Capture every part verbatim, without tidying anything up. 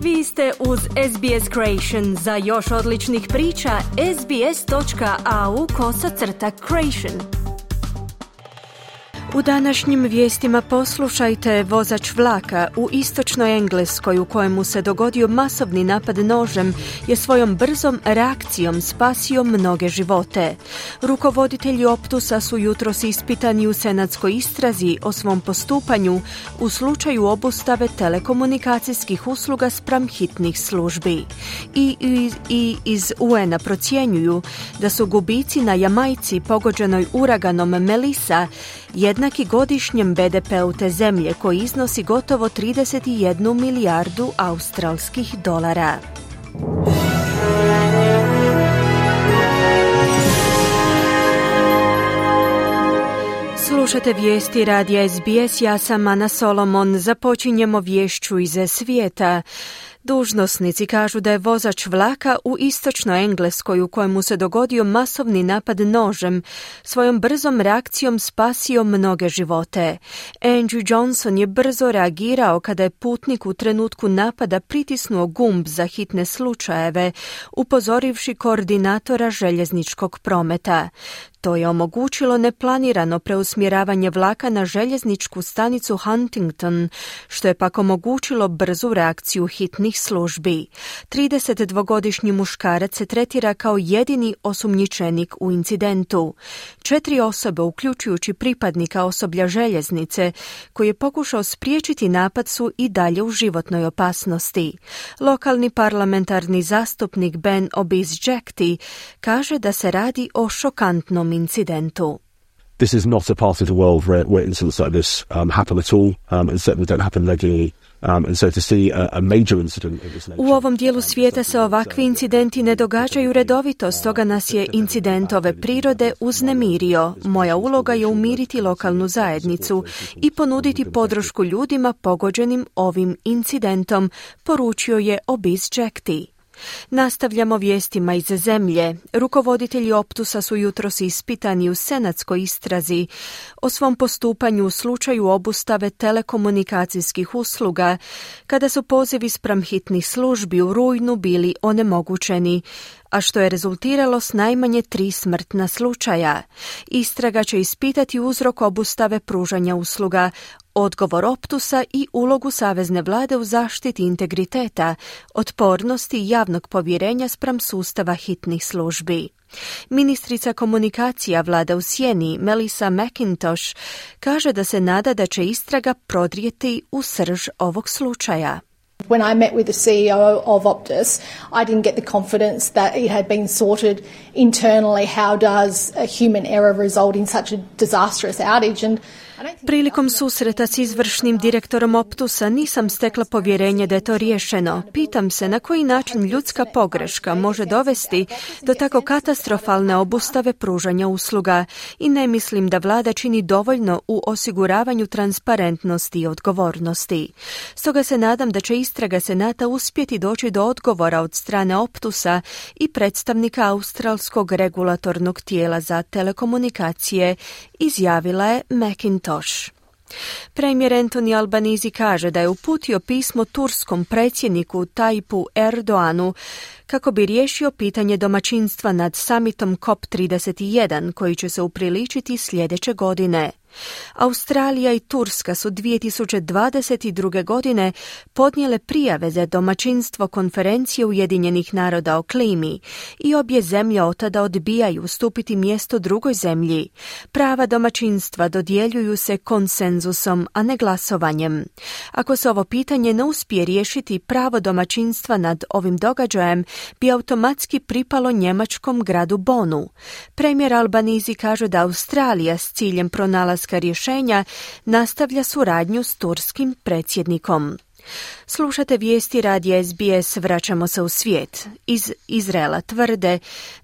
Vi ste uz S B S Creation. Za još odličnih priča, sbs.au kosacrta creation. U današnjim vijestima poslušajte: vozač vlaka u istočnoj Engleskoj u kojemu se dogodio masovni napad nožem je svojom brzom reakcijom spasio mnoge živote. Rukovoditelji Optusa su jutros ispitani u senatskoj istrazi o svom postupanju u slučaju obustave telekomunikacijskih usluga spram hitnih službi. I, i, i iz U N-a procjenjuju da su gubici na Jamajci pogođenoj uraganom Melissa jednaki godišnjem B D P-u te zemlje koji iznosi gotovo trideset jednu milijardu australskih dolara. Slušate vijesti radija S B S, ja sam Ana Solomon. Započinjemo vješću iz svijeta. Dužnosnici kažu da je vozač vlaka u istočnoj Engleskoj u kojemu se dogodio masovni napad nožem svojom brzom reakcijom spasio mnoge živote. Andrew Johnson je brzo reagirao kada je putnik u trenutku napada pritisnuo gumb za hitne slučajeve, upozorivši koordinatora željezničkog prometa. To je omogućilo neplanirano preusmjeravanje vlaka na željezničku stanicu Huntington, što je pak omogućilo brzu reakciju hitnih službi. tridesetdvogodišnji muškarac se tretira kao jedini osumnjičenik u incidentu. Četiri osobe, uključujući pripadnika osoblja željeznice, koji je pokušao spriječiti napad, su i dalje u životnoj opasnosti. Lokalni parlamentarni zastupnik Ben Obisjekti kaže da se radi o šokantnom incidentu. This is not a part of the world where, where incidents like this um, happen at all, um, and certainly don't happen regularly. Um, and so to see a, a major incident of this nature. U ovom dijelu svijeta se ovakvi incidenti ne događaju redovito, stoga nas je incident ove prirode uznemirio. Moja uloga je umiriti lokalnu zajednicu i ponuditi podršku ljudima pogođenim ovim incidentom, poručio je Obisjekti. Nastavljamo vijestima iz zemlje. Rukovoditelji Optusa su jutros ispitani u senatskoj istrazi o svom postupanju u slučaju obustave telekomunikacijskih usluga, kada su pozivi spram hitnih službi u rujnu bili onemogućeni, a što je rezultiralo s najmanje tri smrtna slučaja. Istraga će ispitati uzrok obustave pružanja usluga, odgovor Optusa i ulogu savezne vlade u zaštiti integriteta, otpornosti i javnog povjerenja spram sustava hitnih službi. Ministrica komunikacija vlade u sjeni, Melissa McIntosh, kaže da se nada da će istraga prodrijeti u srž ovog slučaja. When I met with the C E O of Optus, I didn't get the confidence that it had been sorted internally. How does a human error result in such a disastrous outage? And Prilikom susreta s izvršnim direktorom Optusa nisam stekla povjerenje da je to riješeno. Pitam se na koji način ljudska pogreška može dovesti do tako katastrofalne obustave pružanja usluga i ne mislim da vlada čini dovoljno u osiguravanju transparentnosti i odgovornosti. Stoga se nadam da će istraga Senata uspjeti doći do odgovora od strane Optusa i predstavnika australskog regulatornog tijela za telekomunikacije, izjavila je McIntosh. Premijer Anthony Albanese kaže da je uputio pismo turskom predsjedniku Tayyipu Erdoğanu kako bi riješio pitanje domaćinstva nad summitom C O P trideset jedan koji će se upriličiti sljedeće godine. Australija i Turska su dvije tisuće dvadeset druge. godine podnijele prijave za domaćinstvo konferencije Ujedinjenih naroda o klimi i obje zemlje otada odbijaju ustupiti mjesto drugoj zemlji. Prava domaćinstva dodjeljuju se konsenzusom, a ne glasovanjem. Ako se ovo pitanje ne uspije riješiti, pravo domaćinstva nad ovim događajem bi automatski pripalo njemačkom gradu Bonu. Premijer Albanese kaže da Australija s ciljem pronalaska rješenja nastavlja suradnju s turskim predsjednikom. Slušate vijesti radija S B S, vraćamo se u svijet. Iz Izraela tvrde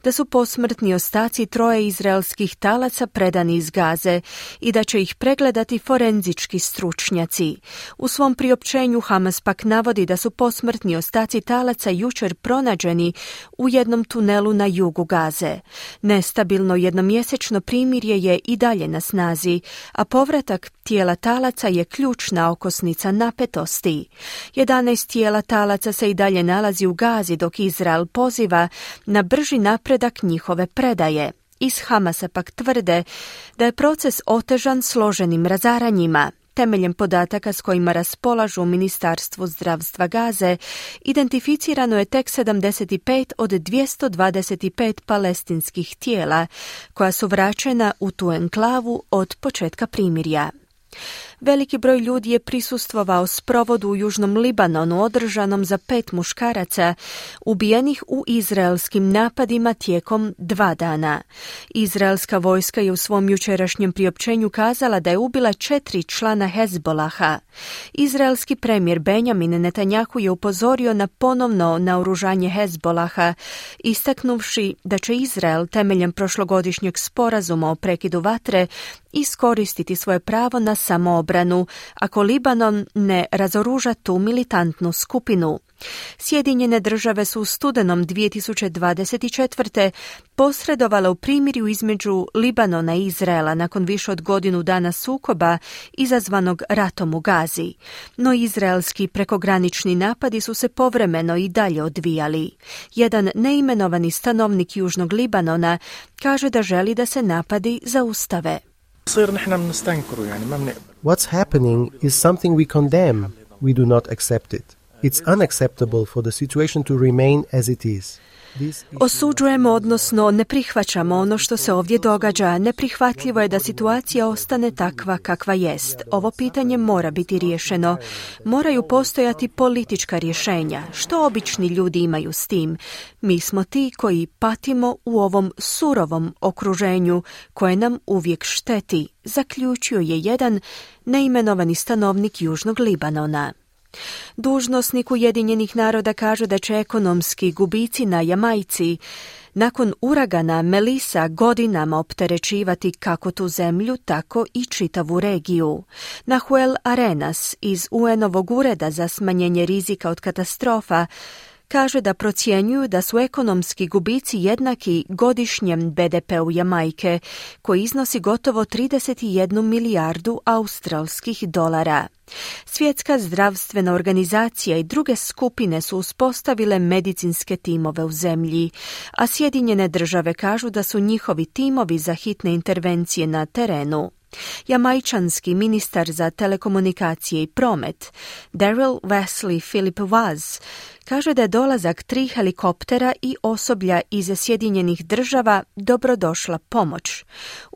da su posmrtni ostaci troje izraelskih talaca predani iz Gaze i da će ih pregledati forenzički stručnjaci. U svom priopćenju Hamas pak navodi da su posmrtni ostaci talaca jučer pronađeni u jednom tunelu na jugu Gaze. Nestabilno jednomjesečno primirje je i dalje na snazi, a povratak tijela talaca je ključna okosnica napetosti. jedanaest tijela talaca se i dalje nalazi u Gazi dok Izrael poziva na brži napredak njihove predaje. Iz Hamasa pak tvrde da je proces otežan složenim razaranjima. Temeljem podataka s kojima raspolažu u Ministarstvu zdravstva Gaze, identificirano je tek sedamdeset pet od dvjesto dvadeset pet palestinskih tijela, koja su vraćena u tu enklavu od početka primirja. Veliki broj ljudi je prisustvovao sprovodu u Južnom Libanonu održanom za pet muškaraca ubijenih u izraelskim napadima tijekom dva dana. Izraelska vojska je u svom jučerašnjem priopćenju kazala da je ubila četiri člana Hezbolaha. Izraelski premijer Benjamin Netanjahu je upozorio na ponovno naoružanje Hezbolaha, istaknuvši da će Izrael temeljem prošlogodišnjeg sporazuma o prekidu vatre iskoristiti svoje pravo na samoobranu ako Libanon ne razoruža tu militantnu skupinu. Sjedinjene države su u studenom dvije tisuće dvadeset četvrte posredovale u primirju između Libanona i Izraela nakon više od godinu dana sukoba izazvanog ratom u Gazi. No izraelski prekogranični napadi su se povremeno i dalje odvijali. Jedan neimenovani stanovnik Južnog Libanona kaže da želi da se napadi zaustave. What's happening is something we condemn. We do not accept it. It's unacceptable for the situation to remain as it is. Osuđujemo, odnosno ne prihvaćamo ono što se ovdje događa. Neprihvatljivo je da situacija ostane takva kakva jest. Ovo pitanje mora biti riješeno. Moraju postojati politička rješenja. Što obični ljudi imaju s tim? Mi smo ti koji patimo u ovom surovom okruženju koje nam uvijek šteti, zaključio je jedan neimenovani stanovnik Južnog Libanona. Dužnosnik Ujedinjenih naroda kaže da će ekonomski gubici na Jamajci nakon uragana Melissa godinama opterećivati kako tu zemlju, tako i čitavu regiju. Nahuel Arenas iz U N-ovog ureda za smanjenje rizika od katastrofa kaže da procjenjuju da su ekonomski gubici jednaki godišnjem B D P-u Jamajke, koji iznosi gotovo trideset jednu milijardu australskih dolara. Svjetska zdravstvena organizacija i druge skupine su uspostavile medicinske timove u zemlji, a Sjedinjene države kažu da su njihovi timovi za hitne intervencije na terenu. Jamajčanski ministar za telekomunikacije i promet, Daryl Wesley Philip Waz, kaže da je dolazak tri helikoptera i osoblja iz Sjedinjenih država dobrodošla pomoć.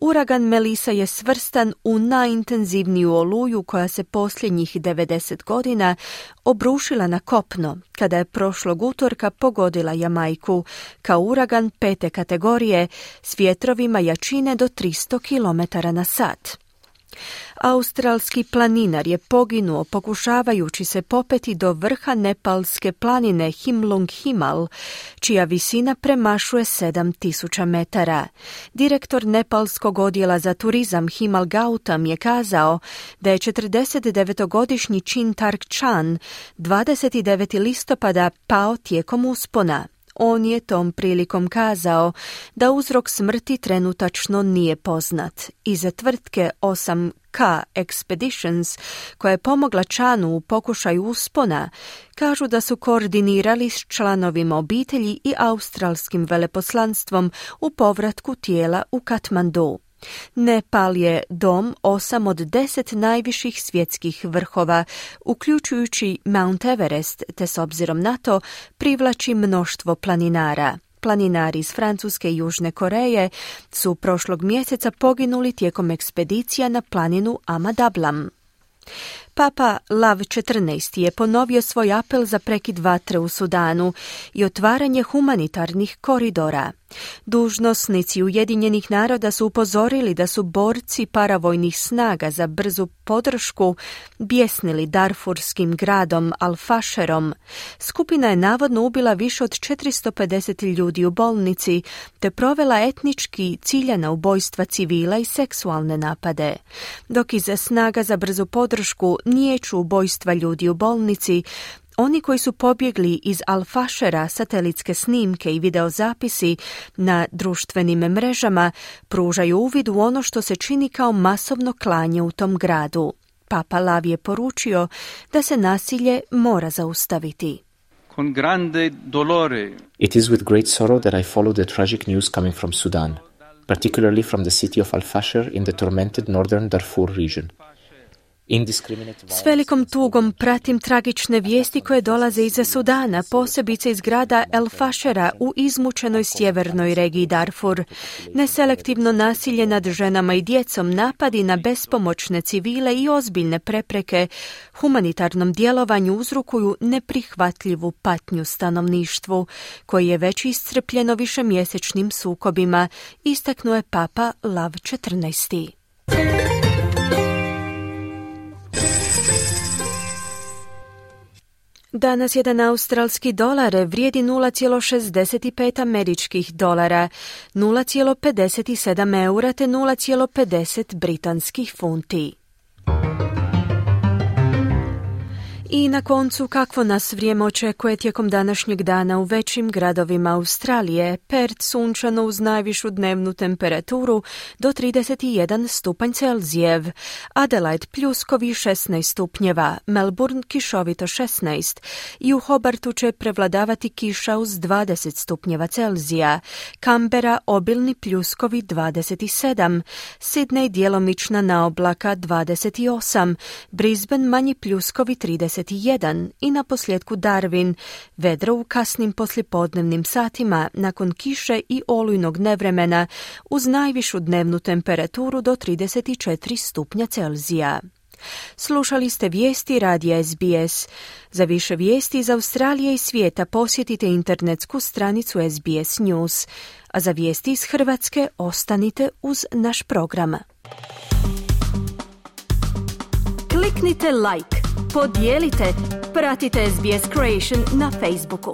Uragan Melissa je svrstan u najintenzivniju oluju koja se posljednjih devedeset godina obrušila na kopno, kada je prošlog utorka pogodila Jamajku kao uragan pete kategorije s vjetrovima jačine do tristo kilometara na sat. Australski planinar je poginuo pokušavajući se popeti do vrha nepalske planine Himlung Himal, čija visina premašuje sedam tisuća metara. Direktor nepalskog odjela za turizam Himal Gautam je kazao da je četrdesetdevetogodišnji Chintark Chan dvadeset devetog listopada pao tijekom uspona. On je tom prilikom kazao da uzrok smrti trenutačno nije poznat. Iza tvrtke osam K Expeditions, koja je pomogla Chanu u pokušaju uspona, kažu da su koordinirali s članovima obitelji i australskim veleposlanstvom u povratku tijela u Katmandu. Nepal je dom osam od deset najviših svjetskih vrhova, uključujući Mount Everest, te s obzirom na to privlači mnoštvo planinara. Planinari iz Francuske i Južne Koreje su prošlog mjeseca poginuli tijekom ekspedicija na planinu Amadablam. Papa Lav četrnaesti je ponovio svoj apel za prekid vatre u Sudanu i otvaranje humanitarnih koridora. Dužnosnici Ujedinjenih naroda su upozorili da su borci paravojnih snaga za brzu podršku bjesnili darfurskim gradom Al-Fasherom. Skupina je navodno ubila više od četiristo pedeset ljudi u bolnici te provela etnički ciljana ubojstva civila i seksualne napade. Dok iz snaga za brzu podršku niječu ubojstva ljudi u bolnici, oni koji su pobjegli iz Al-Fashera, satelitske snimke i videozapisi na društvenim mrežama pružaju uvid u ono što se čini kao masovno klanje u tom gradu. Papa Lav je poručio da se nasilje mora zaustaviti. Con grande dolore. It is with great sorrow that I follow the tragic news coming from Sudan, particularly from the city of Al-Fasher in the tormented northern Darfur region. S velikom tugom pratim tragične vijesti koje dolaze iz Sudana, posebice iz grada El Fashera u izmučenoj sjevernoj regiji Darfur. Neselektivno nasilje nad ženama i djecom, napadi na bespomoćne civile i ozbiljne prepreke humanitarnom djelovanju uzrokuju neprihvatljivu patnju stanovništvu, koji je već iscrpljeno višemjesečnim sukobima, istaknuo je Papa Lav četrnaesti. Danas jedan australski dolar vrijedi nula zarez šezdeset pet američkih dolara, nula zarez pedeset sedam eura te nula zarez pedeset britanskih funti. I na koncu, kakvo nas vrijeme očekuje tijekom današnjeg dana u većim gradovima Australije? Perth sunčano uz najvišu dnevnu temperaturu do trideset jedan stupanj Celzijev, Adelaide pljuskovi šesnaest stupnjeva, Melbourne kišovito šesnaest i u Hobartu će prevladavati kiša uz dvadeset stupnjeva Celzija, Canberra obilni pljuskovi dvadeset sedam, Sydney djelomična naoblaka dvadeset osam, Brisbane manji pljuskovi trideset jedan i na posljedku Darwin, vedro u kasnim poslijepodnevnim satima nakon kiše i olujnog nevremena uz najvišu dnevnu temperaturu do trideset četiri stupnja Celzija. Slušali ste vijesti radija S B S. Za više vijesti iz Australije i svijeta posjetite internetsku stranicu S B S News, a za vijesti iz Hrvatske ostanite uz naš program. Kliknite like, podijelite, pratite S B S Creation na Facebooku.